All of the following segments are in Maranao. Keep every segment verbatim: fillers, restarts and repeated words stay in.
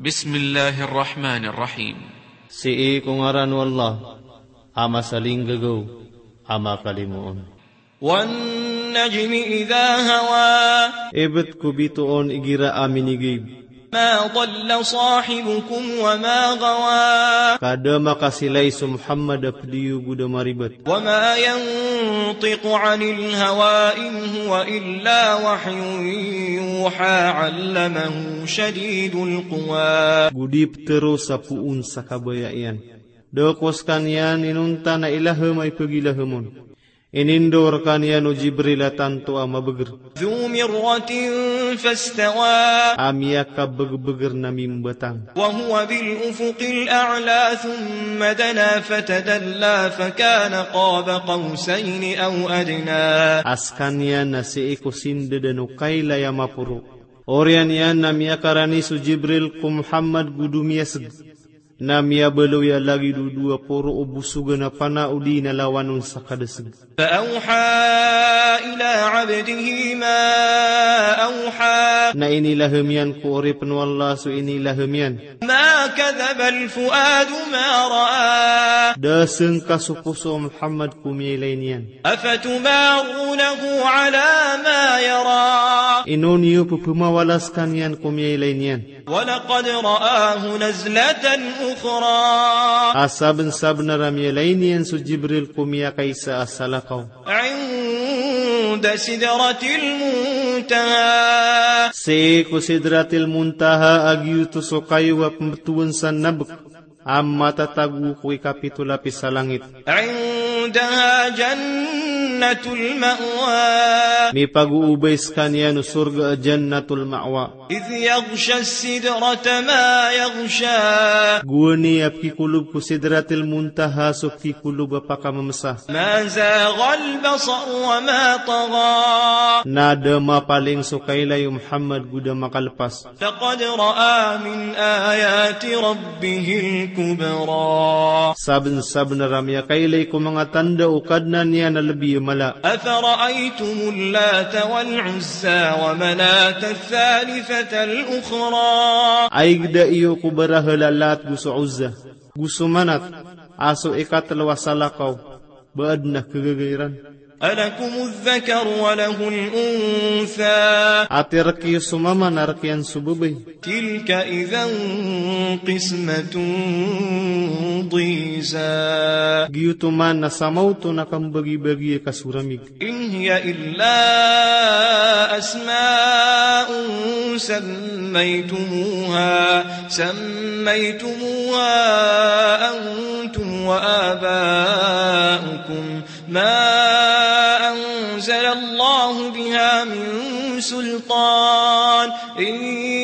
Bismillahir Rahmanir Rahim. Sii ko ngaran o Allah, a masalinggagaw, a makalimoon. Wan najmi idha hawa. Ibt ko bitoon igira a minigayb. Ma dalla sahibukum wa ma ghawa. Ka da makasilay so Muhammad a pd iyo go da maribat. Wa ma yantiqu anil hawa in huwa illa wahyun yuha, allamahu shadidul quwa. Go di ptharoos a poon sa kabaya iyan. Da ko skaniyan inonta na ilaham a ipagilaham on. Inindao rkaniyan o Jibril a tanto a mabagr. Dhu mirratin fastawa. A miyakabagbagr na mimbatang. Wa huwa bil ufuqil a'la thumma dana fatadalla fakana qaba qawsayni aw adna. A skaniyan na sii ko sindadan o kailay a maporo. Oriyan iyan na miyakarani so Jibril ko Muhammad go domiyasg. Na miyabaloy a lagid o dowa poro o bosogan a pana odi na lawan on sa kadasg. Fa awha ila abdihi ma awha. Na inilaham iyan ko oripn o Allah so inilaham iyan. Ma kadhabal fuadu ma ra'a. Da sngka so poso o Muhammad ko miyailay niyan. Afatumarunahu ala ma yara. Ino niyo pphamawala skaniyan ko miyailay niyan. Wa laqad ra'ahu nazlatan ukhra. A sabnsabnar a miyailay niyan so Jibril ko miyakaisa a salakaw. Inda sidratil muntaha. Sii ko Sidratil Muntaha a giyoto so kayo a pmbtowan sa nabk. A matatago ko ikapito lapis a langit. Indaha jannatul ma'wa. Mipagoobay skaniyan o sorga a Jannatul Ma'wa. Idh yaghsha sidrata ma yaghsha. Gowani a pkikolob ko Sidratil Muntaha so pkikolob a pakamamsa. Ma zaghal basar wa ma tagha. Na da mapaling so kailay o Muhammad go da makalpas. Laqad ra'a min ayati rabbihil kubra. Sabnsabnar a miyakailay ko manga tanda o Kadnan iyan a lbi a mala. Afara'aytumul Lata wal Uzza wa Manata ath-thalithata al-ukhra. Ay gda iyo ko barahal a Lat go so Uzza, go so Manat, a so ikatlo a salakaw, ba adn a khagaga iran. Alakumudh dhakaru wa lahul untha. Ati rk iyo so mama na rk iyan so babay. Tilka idhan qismatun dhiza. Giyoto man na samaoto na kambagibagi a kasoramig. In hiya illa asma'un sammaytumuha, sammaytumuha antum wa aba'ukum ma anzalallahu biha min sultan, in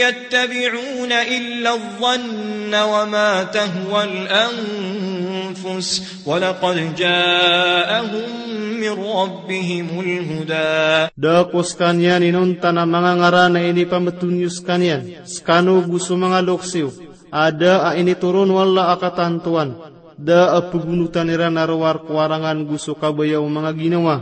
yattabi'una illa adh-dhanna wa ma tahwal anfus, wa laqad ja'ahum min rabbihimul huda. Da ko skaniyan inonta na manga ngaran a inipambotowan iyo skaniyan, skano go so manga loks iyo, a da a initoron o Allah a katantowan. Da a pgonotan iran a rowar ko arangan go so kabaya o manga ginawa.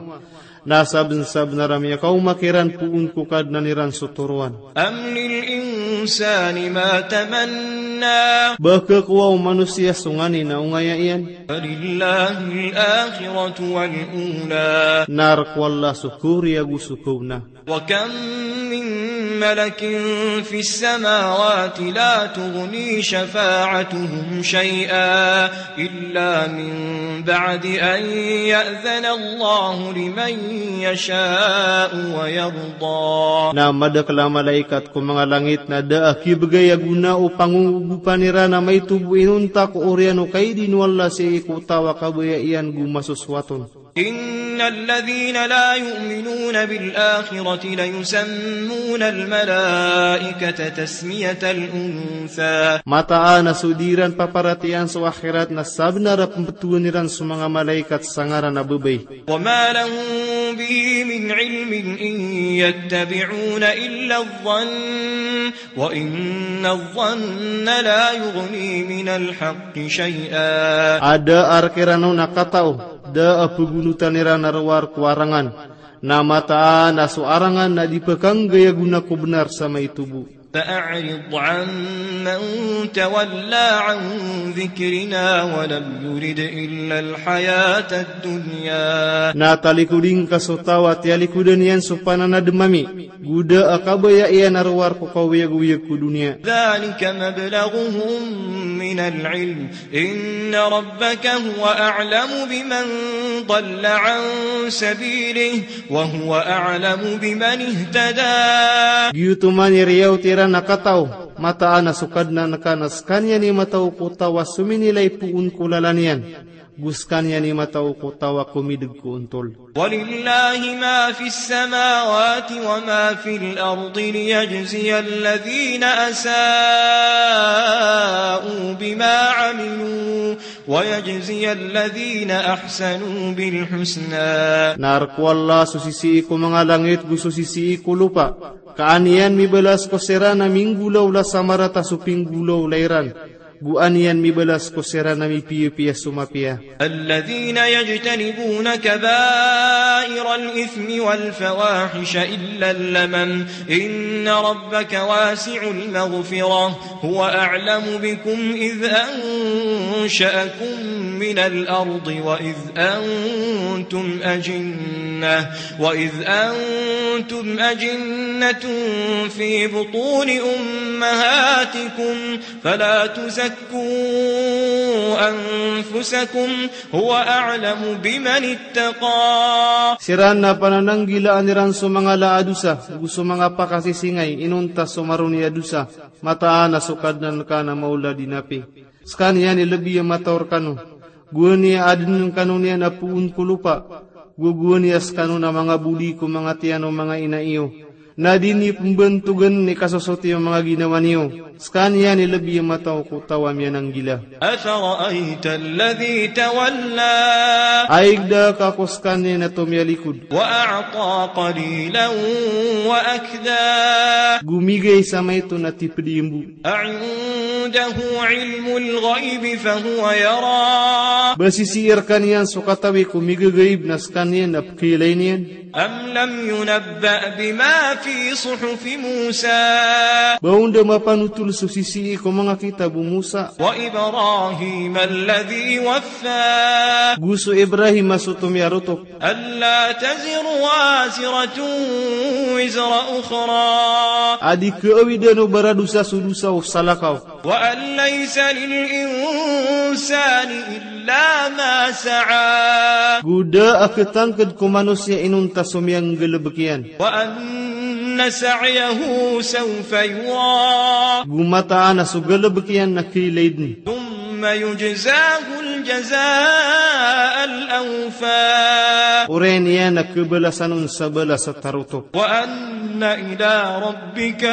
Na sabnsabnar a miyakaoma kiran poon ko Kadnan iran so toroan. Am lil insani ma tamanna. Ba khakowa o manosiya so nganin a ongaya iyan. Falillahil akhiratu wal ula. Na rk o Allah so khaoriya go so khaona. Wa kam min malakin fis samawati la tughni shafa'atuhum shay'a illa min ba'di an ya'dhana Allahu liman yasha'u wa yarda. Na madakl a malaikat ko manga langit na da a kibgay a gona o pangogopan iran a maito bo inonta ko oriyan o kaidin o Allah sii ko taw a kabaya iyan go masosowat on. Innal ladhina la yu'minuna bil akhirati la yusammuna al malaikata tasmiyatal untha. Mataan a so di iran paparatiyayaan so akhirat na sabnar a pmbtowan iran so manga malaikat sa ngaran a babay. Wa ma lahum bihi min ilmin in yattabi'una illa adh-dhann. Wa inna adh-dhanna la yughni minal haqqi shay'a. A da a rk iran on a katao, da a pgonotan iran a rowar ko arangan. Na mataan a so arangan na di pkhanggay a gona ko bnar sa maito bo. فأعرض عمن تولى عن ذكرنا ولم يرد إلا الحياة الدنيا. Na talikodi ngka so taw a tiyalikodan iyan so pananadem ami, go da a kabaya iyan a rowar ko kaoyagoyag ko doniya. ذلك مبلغهم من العلم إن ربك هو أعلم بمن ضل عن سبيله وهو أعلم بمن اهتدى. Giyoto man i riyaot iran a kataw, mataan a so Kadnan ka na sekaniyan i mataw ko taw a sominilay poon ko lalan iyan, go sekaniyan i mataw ko taw a komideg ko ontol. ولله ما في السماوات وما في الأرض ليجزي الذين أساءوا بما عملوا ويجزي الذين أحسنوا بالحسنى. Na rk o Allah so sisii ko manga langit go so sisii ko lopa, ka an iyan mibalas ko siran a minggolawla sa marata so pinggolawla iran, go an iyan mibalas ko siran a mipiyapiya so mapiya. الذين يجتنبون كبائر الإثم والفواحش إلا اللمم إن ربك واسع المغفرة هو أعلم بكم إذ أنشأكم من الأرض وإذ أنتم أجنة، وإذ أنتم أجنة في بطون أمهاتكم فلا تزكوا أنفسكم هو أعلم بمن اتقى. Siran na panananggilaan iran so manga laa a dosa, go so manga pakasisingay inonta so maroni a dosa, mataan a so Kadnan ka na maolad i napi. Sekaniyan i lebi a mataw rekano. Gowani a aden kano niyan a poon ko lopa. Go gowani a sekano na manga bodi ko manga tiyan o manga ina iyo. Na di niyo pembantogen i kasosoti o manga ginawa niyo. Sekaniyan i lebi a mataw ko taw a miyananggila. أفرأيت الذي تولى. Ay gda ka ko sekaniyan a tomiyalikod. وأعطى قليلا وأكدى. Go migay sa maito na tiped i mbo. أعنده علم الغيب فهو يرى. Ba sisii rekaniyan so katawi ko migagaib na sekaniyan a pekeilay niyan. أم لم ينبأ بما في صحف موسى. Ba o nda mapanotol so sisii ko manga kitab o Musa. وإبراهيم الذي وفى. Go so Ibrahim a so tomiyarotok. ألا تزر وازرة وزر أخرى. A di kaawidan o baradosa so dosa o salakaw. وأن ليس للإنسان إلا ما سعى. Go da a ketangked ko manosiya inonta so miyanggalebek iyan. وأن سعيه سوف يرى. Go mataan a so galebek iyan na keilay den. ثم يجزاه الجزاء الأوفى. Oriyan iyan a kebalasan on sa balas a tarotok. وأن إلى ربك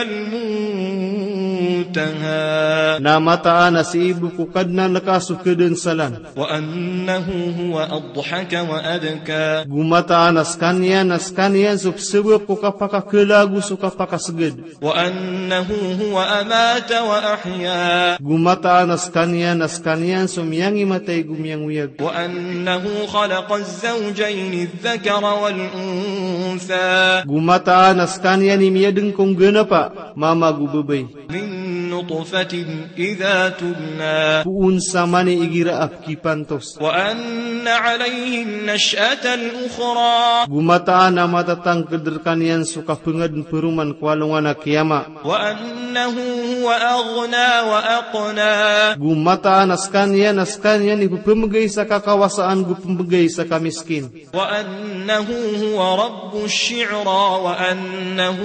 المنتهى. Na mataan a sii bo ko Kadnan ka so kedensalan. وأنه هو أضحك وأبكى. Go mataan a sekaniyan, a sekaniyan so pesebek ko kapakakela go so kapakaseged. وأنه هو أمات وأحيا. Go mataan a sekaniyan, a sekaniyan so miyangimatay go miyangoyag. وأنه خلق الزوجين الذكر والأنثى. Go mataan a sekaniyan i miyadeng ko nggenapa, mama go babay. من نطفة إذا تمنى. Poon sa mani igira a pekipantos. وأن عليه النشأة الأخرى. Go mataan a matatangked rekaniyan so kapengaden peroman ko alongan a kiyama. وأنه هو أغنى وأقنى. Go mataan a sekaniyan, a sekaniyan i pepemegay sa kakawasaan go pemegay sa kamiskin. وأنه هو رب الشعرى وأنه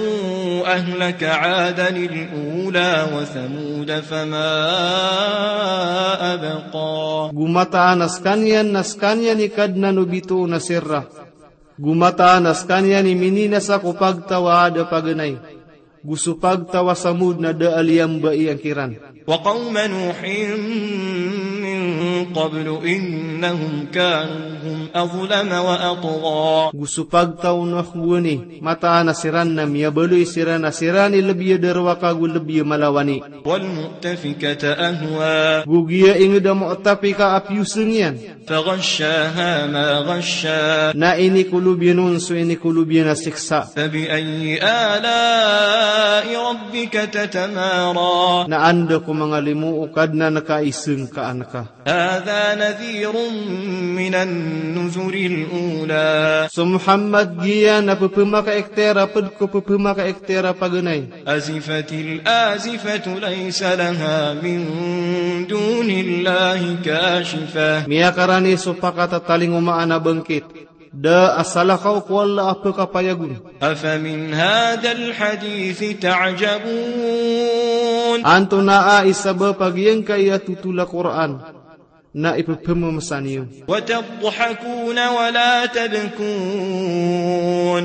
أهلك عادا الأولى وثمود فما أبقى. Go mataan a sekaniyan, a sekaniyan i Kadnan o bitoon a Sirra. Go mataan a sekaniyan i mininasa ko pagtaw a Ad a paganay. Go so pagtaw a Samud na da a liyambai angkiran. وقوم نوح من قبل إنهم كانوا هم أظلم وأطغى. Go so pagtaw o Nuh gowani, mataan a siran na miyabaloy siran a siran i lbi a darowaka go lbi a malawani. والمؤتفكة أهوى. Go giya ingd a mu'tafika a piyosng iyan. فغشاها ما غشى. Na inikolob iyan on so inikolob iyan a siksa. فبأي آلاء ربك تتمارى. Na anda ko manga limo o Kadnan ka i sngkaan ka. هذا نذير من النذر الأولى. So Muhammad, giya na pphamakaiktir a pd ko pphamakaiktir a paganay. أزفت الآزفة ليس لها من دون الله كاشفة. Miyakarani so pakatatalingoma a bangkit. Da a salakaw ko Allah a pkapayag on. أفمن هذا الحديث تعجبون. Antonaa i sabap a giyangkai a thotol a Qur'an na ipphmamsa niyo. وتضحكون ولا تبكون.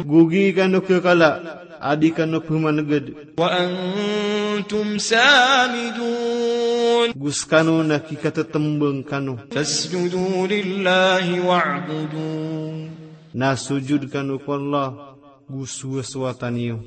Go gii kano kkala a di kano pmanagad. وأنتم سامدون. Go skano na kikathtmbang kano. فاسجدوا لله واعبدوا. Na sojod kano ko Allah, go sowasowata niyo.